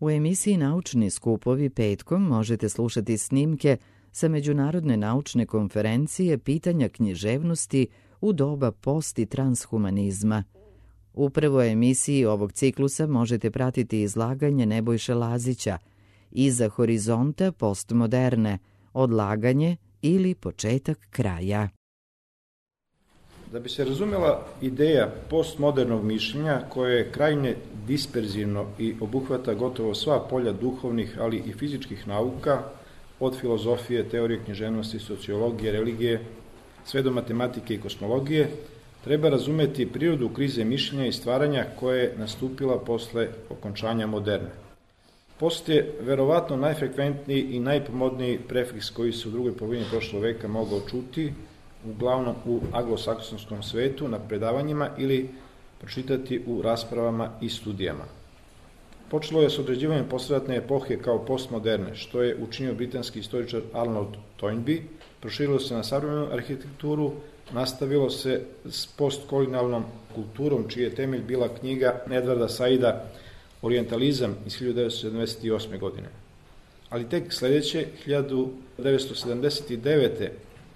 U emisiji Naučni skupovi petkom možete slušati snimke sa Međunarodne naučne konferencije Pitanja književnosti u doba post- i transhumanizma. U prvoj emisiji ovog ciklusa možete pratiti izlaganje Nebojše Lazića Iza horizonta postmoderne, odlaganje ili početak kraja. Da bi se razumela ideja postmodernog mišljenja koje je krajnje disperzivno i obuhvata gotovo sva polja duhovnih, ali i fizičkih nauka, od filozofije, teorije književnosti, sociologije, religije, sve do matematike i kosmologije, treba razumeti prirodu krize mišljenja i stvaranja koja je nastupila posle okončanja moderne. Post je verovatno najfrekventniji i najpomodniji prefiks koji se u drugoj polovini prošlog veka mogao čuti, uglavnom u anglosaksonskom svetu, na predavanjima ili pročitati u raspravama i studijama. Počelo je s određivanjem posleratne epohe kao postmoderne, što je učinio britanski istoričar Arnold Toynbee, proširilo se na savremenu arhitekturu, nastavilo se s postkolonijalnom kulturom, čiji je temelj bila knjiga Edvarda Saida Orientalizam iz 1978. godine. Ali tek sledeće, 1979.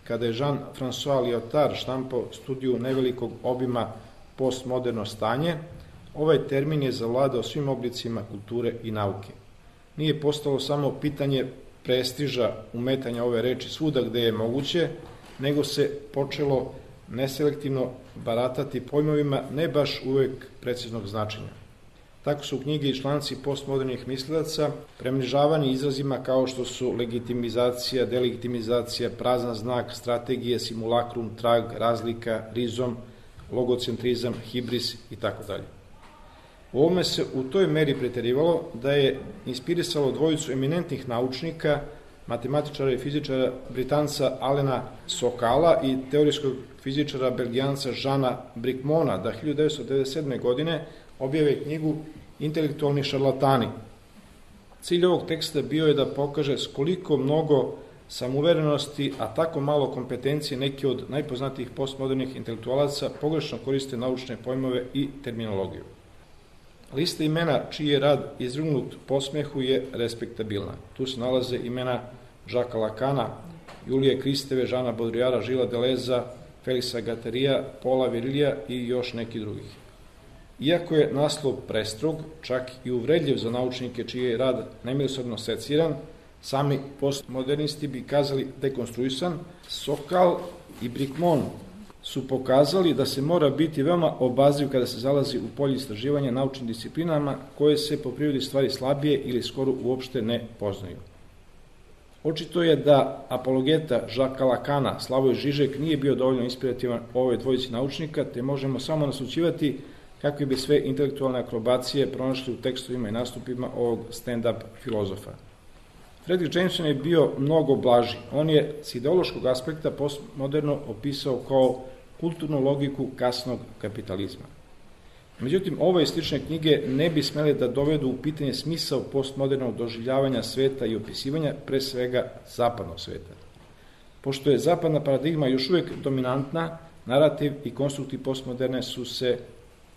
kada je Jean-François Lyotard štampao studiju nevelikog obima postmoderno stanje, ovaj termin je zavladao svim oblicima kulture i nauke. Nije postalo samo pitanje prestiža umetanja ove reči svuda gde je moguće, nego se počelo neselektivno baratati pojmovima ne baš uvek preciznog značenja. Tako su knjige i članci postmodernih mislilaca premrežavani izrazima kao što su legitimizacija, delegitimizacija, prazan znak, strategije, simulakrum, trag, razlika, rizom, logocentrizam, hibris itd. U ovome se u toj meri preterivalo da je inspirisalo dvojicu eminentnih naučnika, matematičara i fizičara Britanca Alena Sokala i teorijskog fizičara Belgijanca Žana Brikmona da 1997. godine objave knjigu Intelektualni šarlatani. Cilj ovog teksta bio je da pokaže s koliko mnogo samouverenosti, a tako malo kompetencije neki od najpoznatijih postmodernih intelektualaca pogrešno koriste naučne pojmove i terminologiju. Lista imena čiji je rad izvrgnut posmehu je respektabilna. Tu se nalaze imena Jacquesa Lacana, Julije Kristeve, Žana Baudrillarda, Žila Deleza, Felixa Guattariya, Paula Virilija i još neki drugih. Iako je naslov prestrog, čak i uvredljiv za naučnike čiji je rad nemilosrdno seciran, sami postmodernisti bi kazali dekonstruisan, Sokal i Brikmon su pokazali da se mora biti veoma obazriv kada se zalazi u polje istraživanja naučnim disciplinama koje se po prirodi stvari slabije ili skoro uopšte ne poznaju. Očito je da apologeta Jacquesa Lacana, Slavoj Žižek, nije bio dovoljno inspirativan ovoj dvojici naučnika, te možemo samo naslućivati kakve bi sve intelektualne akrobacije pronašli u tekstovima i nastupima ovog stand-up filozofa. Fredric Jameson je bio mnogo blaži. On je s ideološkog aspekta postmoderno opisao kao kulturnu logiku kasnog kapitalizma. Međutim, ove i slične knjige ne bi smele da dovedu u pitanje smisao postmodernog doživljavanja sveta i opisivanja, pre svega zapadnog sveta. Pošto je zapadna paradigma još uvek dominantna, narativ i konstrukti postmoderne su se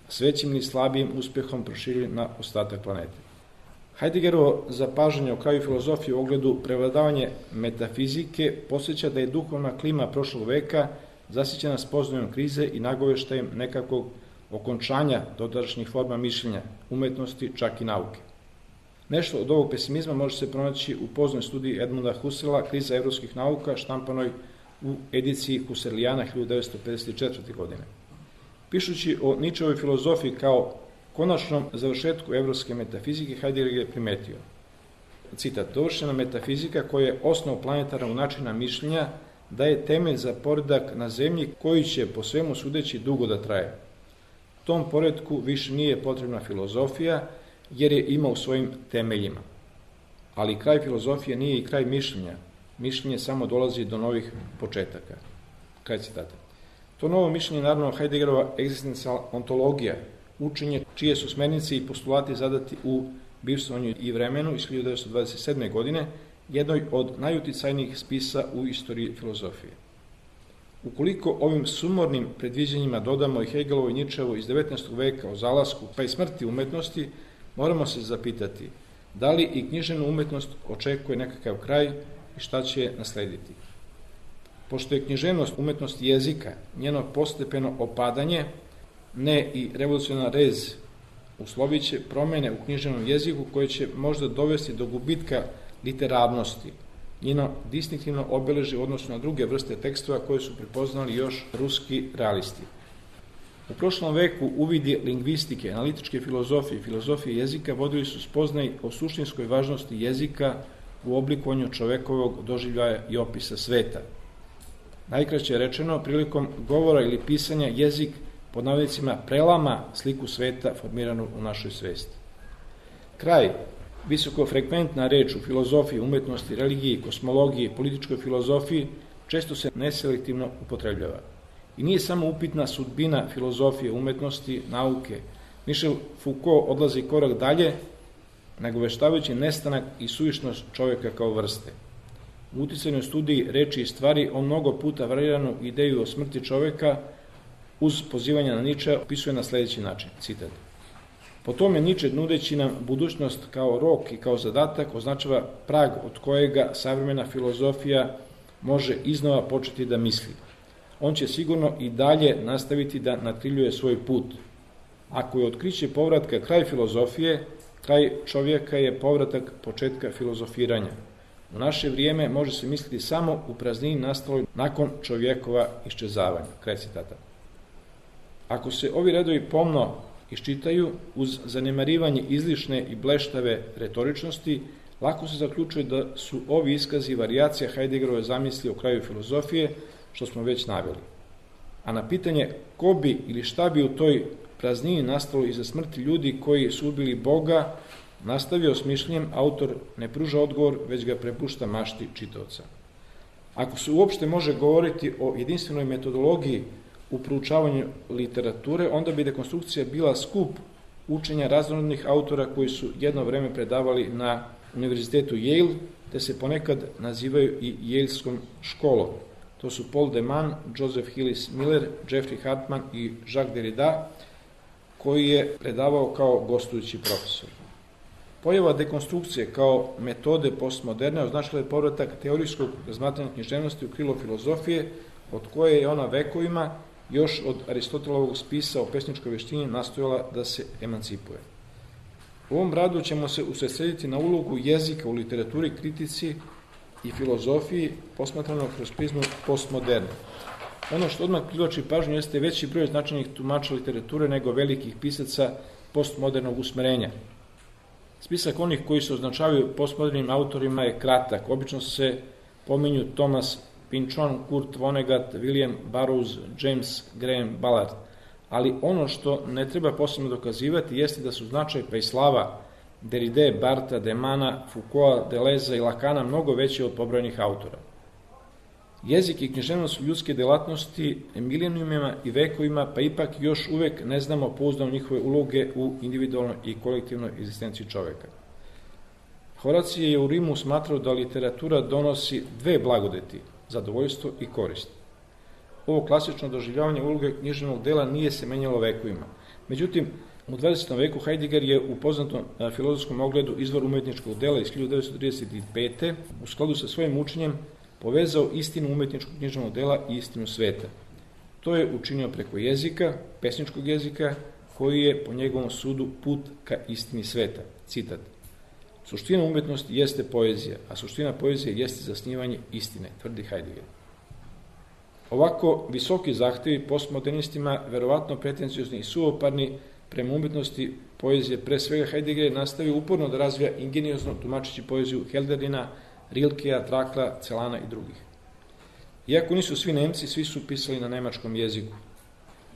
s većim ili slabijim uspehom proširili na ostatak planete. Heideggerovo zapažanje o kraju filozofije u ogledu prevladavanje metafizike podsjeća da je duhovna klima prošlog veka zasićena spoznajom krize i nagoveštajem nekakvog okončanja dotadašnjih forma mišljenja, umetnosti, čak i nauke. Nešto od ovog pesimizma može se pronaći u poznoj studiji Edmunda Husserla Kriza evropskih nauka, štampanoj u ediciji Husserlijana 1954. godine. Pišući o Ničevoj filozofiji kao konačnom završetku evropske metafizike, Heidegger je primetio, citat, dovršena metafizika koja je osnov planetarnog načina mišljenja daje temelj za poredak na zemlji koji će po svemu sudeći dugo da traje. Tom poredku više nije potrebna filozofija jer je ima u svojim temeljima. Ali kraj filozofije nije i kraj mišljenja. Mišljenje samo dolazi do novih početaka. Kraj citata. To novo mišljenje je naravno Heideggerova egzistencijalna ontologija, učenje čije su smernice i postulati zadati u Bivstvovanju i vremenu iz 1927. godine, jednoj od najuticajnijih spisa u istoriji filozofije. Ukoliko ovim sumornim predviđanjima dodamo i Hegelovo i Ničevo iz 19. veka o zalasku pa i smrti umetnosti, moramo se zapitati Da li i književnu umetnost očekuje nekakav kraj i šta će je naslediti? Pošto je književnost umetnost jezika, njeno postepeno opadanje, ne i revolucionarna rez, uslovit će promene u književnom jeziku koje će možda dovesti do gubitka literarnosti, njeno distinktivno obeležje u odnosu na druge vrste tekstova koje su prepoznali još ruski realisti. U prošlom veku uvidi lingvistike, analitičke filozofije i filozofije jezika vodili su spoznaj o suštinskoj važnosti jezika u oblikovanju čovekovog doživljaja i opisa sveta. Najkraće rečeno, prilikom govora ili pisanja jezik pod navodnicima prelama sliku sveta formiranu u našoj svesti. Kraj, visokofrekventna reč u filozofiji, umetnosti, religiji, kosmologiji, političkoj filozofiji često se neselektivno upotrebljava. I nije samo upitna sudbina filozofije, umetnosti, nauke. Michel Foucault odlazi korak dalje, nagoveštavajući nestanak i suvišnost čovjeka kao vrste. U uticajnoj studiji reči i stvari on mnogo puta variranu ideju o smrti čovjeka uz pozivanje na Nietzschea opisuje na sljedeći način, citat. Po tome Nietzsche, nudeći nam budućnost kao rok i kao zadatak, označava prag od kojega savremena filozofija može iznova početi da misli. On će sigurno i dalje nastaviti da natkriljuje svoj put. Ako je otkriće povratka kraj filozofije, kraj čovjeka je povratak početka filozofiranja. U naše vrijeme može se misliti samo u praznini nastaloj nakon čovjekova iščezavanja. Kraj citata. Ako se ovi redovi pomno iščitaju uz zanemarivanje izlišne i bleštave retoričnosti, lako se zaključuje da su ovi iskazi varijacija Heideggerove zamisli o kraju filozofije, što smo već naveli. A na pitanje ko bi ili šta bi u toj praznini nastalo iza smrti ljudi koji su ubili Boga, nastavio s mišljenjem, autor ne pruža odgovor, već ga prepušta mašti čitaoca. Ako se uopšte može govoriti o jedinstvenoj metodologiji u proučavanju literature, onda bi dekonstrukcija bila skup učenja raznorodnih autora koji su jedno vreme predavali na univerzitetu Yale, te se ponekad nazivaju i Yaleskom školom. To su Paul de Man, Joseph Hillis Miller, Jeffrey Hartman i Jacques Derrida, koji je predavao kao gostujući profesor. Pojava dekonstrukcije kao metode postmoderne označila je povratak teorijskog razmatranja književnosti u krilo filozofije, od koje je ona vekovima još od Aristotelovog spisa o pesničkoj veštini nastojala da se emancipuje. U ovom radu ćemo se usredsrediti na ulogu jezika u literaturi, kritici i filozofiji posmatrano kroz prizmu postmoderne. Ono što odmah privlači pažnju jeste veći broj značajnih tumača literature nego velikih pisaca postmodernog usmerenja. Spisak onih koji se označavaju postmodernim autorima je kratak. Obično se pominju Thomas Pynchon, Kurt Vonnegut, William Burroughs, James Graham Ballard. Ali ono što ne treba posebno dokazivati jeste da su značaj pa i slava Derride, Bartha, Demana, Foucaulta, Deleuza i Lacana mnogo veći od pobrojenih autora. Jezik i književnost su ljudske delatnosti milenijumima i vekovima, pa ipak još uvek ne znamo pouzdano njihove uloge u individualnoj i kolektivnoj egzistenciji čoveka. Horacije je u Rimu smatrao da literatura donosi dve blagodeti, zadovoljstvo i korist. Ovo klasično doživljavanje uloge književnog dela nije se menjalo vekovima. Međutim, u 20. veku Heidegger je u poznatom filozofskom ogledu Izvor umetničkog dela iz 1935. u skladu sa svojim učenjem povezao istinu umetničkog književnog dela i istinu sveta. To je učinio preko jezika, pesničkog jezika, koji je po njegovom sudu put ka istini sveta. Citat. Suština umetnosti jeste poezija, a suština poezije jeste zasnivanje istine, tvrdi Heidegger. Ovako visoki zahtevi postmodernistima, verovatno pretenciozni i suvoparni prema umetnosti poezije, pre svega Heidegger nastavio uporno da razvija ingeniozno tumačeći poeziju Helderlina, Rilkea, Trakla, Celana i drugih. Iako nisu svi Nemci, svi su pisali na nemačkom jeziku.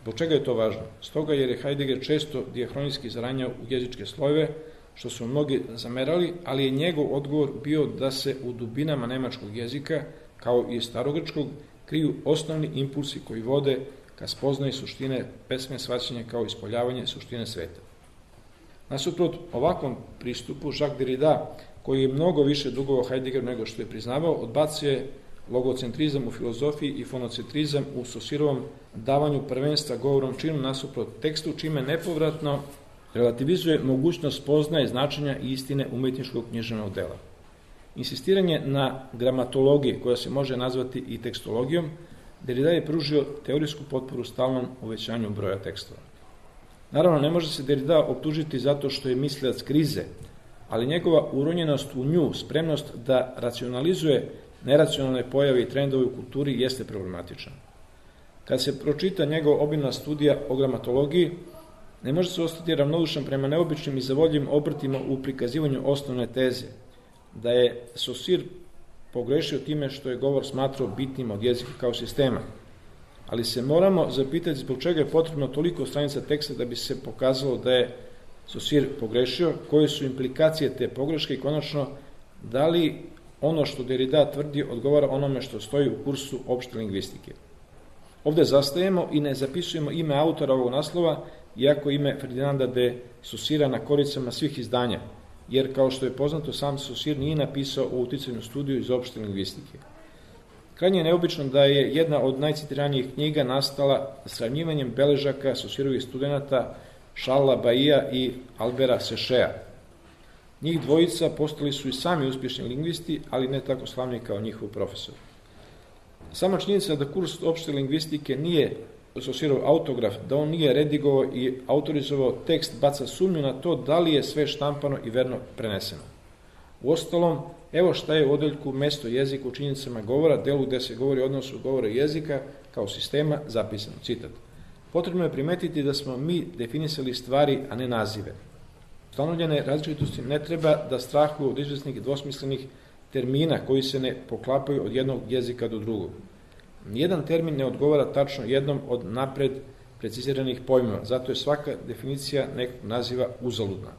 Zbog čega je to važno? Stoga jer je Heidegger često diahronijski zaranjao u jezičke slojeve, što su mnogi zamerali, ali je njegov odgovor bio da se u dubinama nemačkog jezika, kao i starogrčkog, kriju osnovni impulsi koji vode ka spoznaji suštine pesme shvaćanja kao ispoljavanje suštine sveta. Nasuprot ovakvom pristupu, Jacques Derrida, koji je mnogo više dugovao Heideggeru nego što je priznavao, odbacio je logocentrizam u filozofiji i fonocentrizam u Saussureovom davanju prvenstva govorom činu nasuprot tekstu, čime nepovratno relativizuje mogućnost spoznaje značenja i istine umetničkog književnog dela. Insistiranje na gramatologiji, koja se može nazvati i tekstologijom, Derrida je pružio teorijsku potporu stalnom uvećanju broja tekstova. Naravno, ne može se Derrida optužiti zato što je mislilac krize, ali njegova uronjenost u nju, spremnost da racionalizuje neracionalne pojave i trendove u kulturi jeste problematičan. Kad se pročita njegova obimna studija o gramatologiji, ne može se ostati ravnodušan prema neobičnim i zavoljivim obrtima u prikazivanju osnovne teze, da je Saussure pogrešio time što je govor smatrao bitnim od jezika kao sistema. Ali se moramo zapitati zbog čega je potrebno toliko stranica teksta da bi se pokazalo da je Saussure pogrešio, koje su implikacije te pogreške i konačno da li ono što Derrida tvrdi odgovara onome što stoji u kursu opšte lingvistike. Ovde zastajemo i ne zapisujemo ime autora ovog naslova, iako ime Ferdinanda de Saussura na koricama svih izdanja, jer kao što je poznato, sam Saussure nije napisao o uticajnu studiju iz opšte lingvistike. Krajnje je neobično da je jedna od najcitiranijih knjiga nastala sravnjivanjem beležaka Saussurovih studenta Charlesa Bailly'a i Alberta Sechea. Njih dvojica postali su i sami uspješni lingvisti, ali ne tako slavni kao njihov profesor. Sama činjenica da kurs opšte lingvistike nije Saussurov autograf, da on nije redigovao i autorizovao tekst, baca sumnju na to da li je sve štampano i verno preneseno. Uostalom, evo šta je u odeljku mesto jezika u činjenicama govora, delu gde se govori o odnosu govora i jezika kao sistema, zapisano, citat. Potrebno je primetiti da smo mi definisali stvari, a ne nazive. Ustanovljene različitosti ne treba da strahuju od izvesnih dvosmislenih termina koji se ne poklapaju od jednog jezika do drugog. Nijedan termin ne odgovara tačno jednom od napred preciziranih pojmova, zato je svaka definicija nekog naziva uzaludna.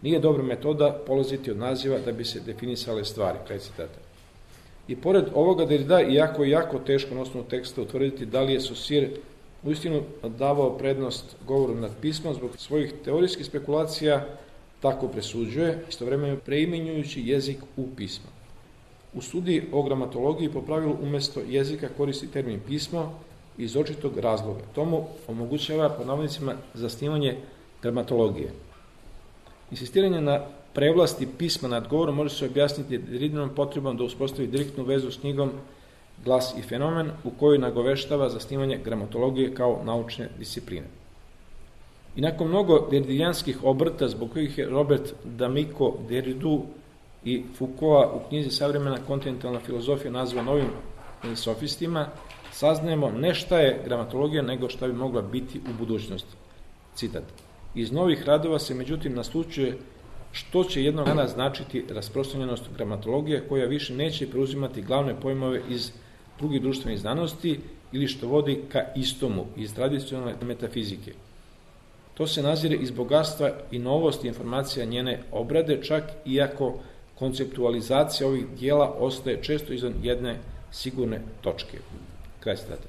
Nije dobra metoda polaziti od naziva da bi se definisale stvari, kraj citata. I pored ovoga Derrida iako je jako teško na osnovu teksta utvrditi da li je Saussure uistinu davao prednost govoru nad pismom zbog svojih teorijskih spekulacija, tako presuđuje, istovremeno preimenjujući jezik u pismo. U studiji o gramatologiji po pravilu umjesto jezika koristi termin pismo iz očitog razloga. Tomu omogućava pod navodnicima zasnivanje gramatologije. Insistiranje na prevlasti pisma nad govorom može se objasniti Derridinom potrebom da uspostavi direktnu vezu s knjigom Glas i fenomen u kojoj nagoveštava zasnivanje gramatologije kao naučne discipline. I nakon mnogo derridijanskih obrta zbog kojih je Robert D'Amico Derridu i Foucaulta u knjizi Savremena kontinentalna filozofija nazva novim sofistima, saznajemo ne šta je gramatologija, nego šta bi mogla biti u budućnosti. Citat. Iz novih radova se međutim naslučuje što će jednog dana značiti rasprostranjenost gramatologije koja više neće preuzimati glavne pojmove iz drugih društvenih znanosti ili što vodi ka istomu iz tradicionalne metafizike. To se nazire iz bogatstva i novosti informacija njene obrade, čak iako konceptualizacija ovih dijela ostaje često izvan jedne sigurne točke. Kraj citata.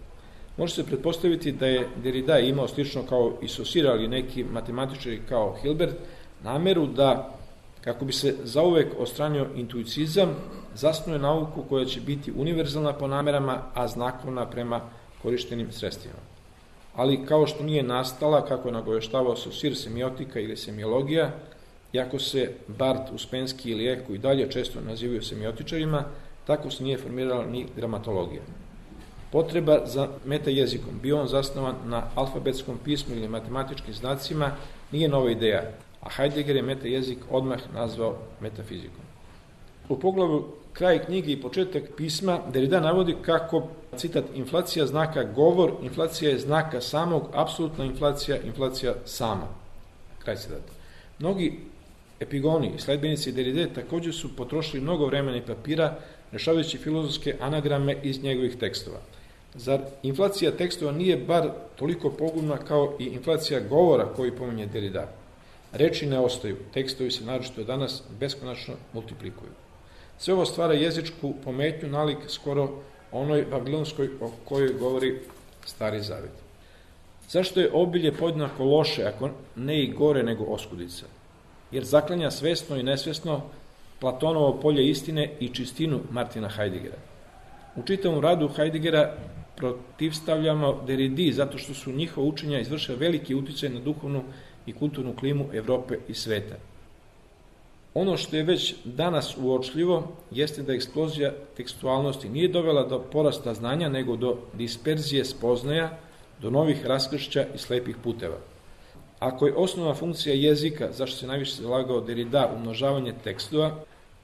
Može se pretpostaviti da je Derrida imao slično kao i Saussure, ali neki matematičari kao Hilbert, nameru da, kako bi se zauvek odstranio intuicizam, zasnuje nauku koja će biti univerzalna po namerama, a znakovna prema korištenim sredstvima. Ali kao što nije nastala, kako je nagoveštavao Saussure, semiotika ili semiologija, iako se Barth, Uspensky ili Eko i dalje često nazivaju semiotičarima, tako se nije formirala ni gramatologija. Potreba za metajezikom, bio on zasnovan na alfabetskom pismu ili matematičkim znacima, nije nova ideja, a Heidegger je metajezik odmah nazvao metafizikom. U poglavlju kraj knjige i početak pisma Derrida navodi kako, citat, inflacija znaka govor, inflacija je znaka samog, apsolutna inflacija, inflacija sama. Kraj citata. Mnogi epigoni i sledbenici Derride također su potrošili mnogo vremena i papira rešavajući filozofske anagrame iz njegovih tekstova. Zar inflacija tekstova nije bar toliko pogubna kao i inflacija govora koji pominje Derrida? Reči ne ostaju, tekstovi se naročito danas beskonačno multiplikuju. Sve ovo stvara jezičku pometnju nalik skoro onoj babilonskoj o kojoj govori Stari Zavet. Zašto je obilje podjednako loše, ako ne i gore nego oskudica? Jer zaklanja svesno i nesvesno Platonovo polje istine i čistinu Martina Heideggera. U čitavom radu Heideggera protivstavljamo Derridi zato što su njihova učenja izvršila veliki uticaj na duhovnu i kulturnu klimu Evrope i sveta. Ono što je već danas uočljivo jeste da eksplozija tekstualnosti nije dovela do porasta znanja, nego do disperzije spoznaja, do novih raskršća i slepih puteva. Ako je osnovna funkcija jezika, zašto se najviše zalagao Derrida, umnožavanje tekstova,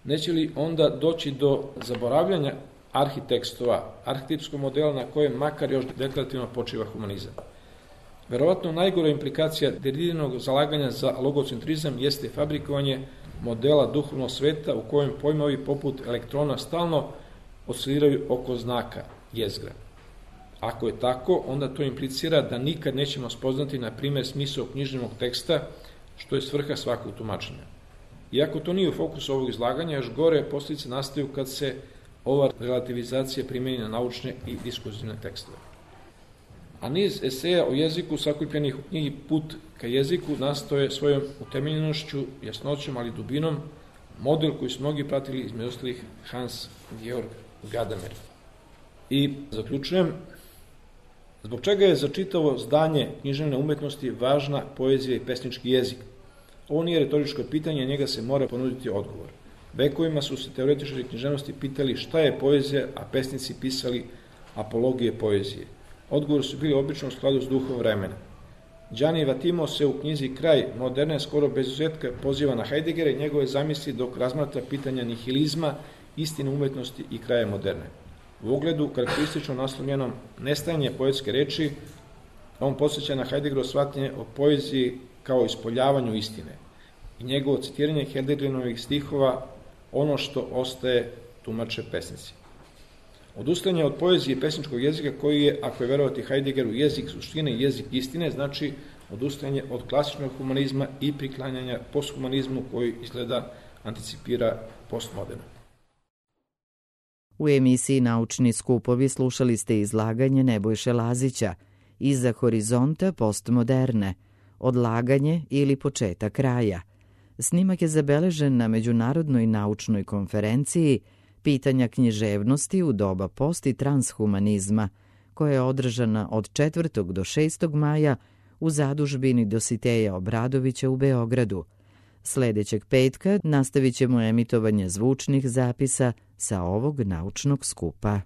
neće li onda doći do zaboravljanja arhitekstova, arhetipskog modela na kojem makar još deklarativno počiva humanizam? Verovatno najgora implikacija Derridinog zalaganja za logocentrizam jeste fabrikovanje modela duhovnog sveta u kojem pojmovi poput elektrona stalno osciliraju oko znaka, jezgra. Ako je tako, onda to implicira da nikad nećemo spoznati, na primjer, smisao književnog teksta, što je svrha svakog tumačenja. Iako to nije u fokusu ovog izlaganja, još gore posljedice nastaju kad se ova relativizacija primjeni na naučne i diskurzivne tekstove. A niz eseja o jeziku sakupljenih u knjigi Put ka jeziku nastoje svojom utemeljenošću, jasnoćom, ali dubinom, model koji su mnogi pratili, između ostalih Hans Georg Gadamer. I zaključujem, zbog čega je za čitavo zdanje književne umetnosti važna poezija i pesnički jezik? Ovo nije retoričko pitanje, njega se mora ponuditi odgovor. Vekovima su se teoretičari književnosti pitali šta je poezija, a pesnici pisali apologije poezije. Odgovor su bili obično u skladu s duhom vremena. Gianni Vattimo se u knjizi Kraj moderne skoro bez izuzetka poziva na Heideggera i njegove zamisli dok razmatra pitanja nihilizma, istine umetnosti i kraja moderne. U ogledu karakteristično naslovljenom Nestajanje poetske reči, on podsjeća na Heideggerovo shvatanje o poeziji kao ispoljavanju istine i njegovo citiranje Heideggerovih stihova ono što ostaje tumače pesnici. Odustajanje od poezije i pesničkog jezika koji je, ako je verovati Heideggeru, jezik suštine i jezik istine, znači odustajanje od klasičnog humanizma i priklanjanja posthumanizmu koji izgleda anticipira postmoderno. U emisiji Naučni skupovi slušali ste izlaganje Nebojše Lazića Iza horizonta postmoderne, odlaganje ili početak kraja. Snimak je zabeležen na Međunarodnoj naučnoj konferenciji Pitanja književnosti u doba post- i transhumanizma, koja je održana od 4. do 6. maja u zadužbini Dositeja Obradovića u Beogradu. Sledećeg petka nastavit ćemo emitovanje zvučnih zapisa sa ovog naučnog skupa.